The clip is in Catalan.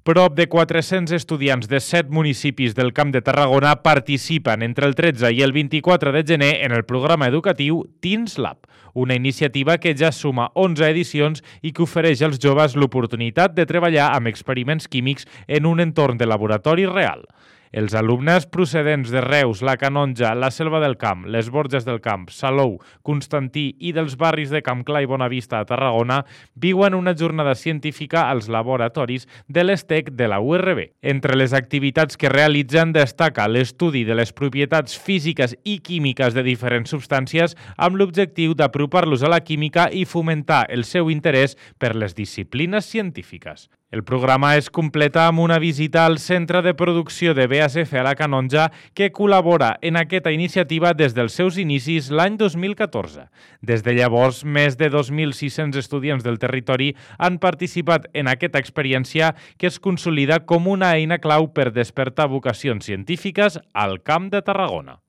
Prop de 400 estudiants de 7 municipis del Camp de Tarragona participen entre el 13 i el 24 de gener en el programa educatiu Teens Lab, una iniciativa que ja suma 11 edicions i que ofereix als joves l'oportunitat de treballar amb experiments químics en un entorn de laboratori real. Els alumnes procedents de Reus, la Canonja, la Selva del Camp, les Borges del Camp, Salou, Constantí i dels barris de Camp Clar i Bonavista a Tarragona viuen una jornada científica als laboratoris de l'ESTEC de la URB. Entre les activitats que realitzen destaca l'estudi de les propietats físiques i químiques de diferents substàncies amb l'objectiu d'apropar-los a la química i fomentar el seu interès per les disciplines científiques. El programa es completa amb una visita al Centre de Producció de BASF a la Canonja que col·labora en aquesta iniciativa des dels seus inicis l'any 2014. Des de llavors, més de 2.600 estudiants del territori han participat en aquesta experiència que es consolida com una eina clau per despertar vocacions científiques al Camp de Tarragona.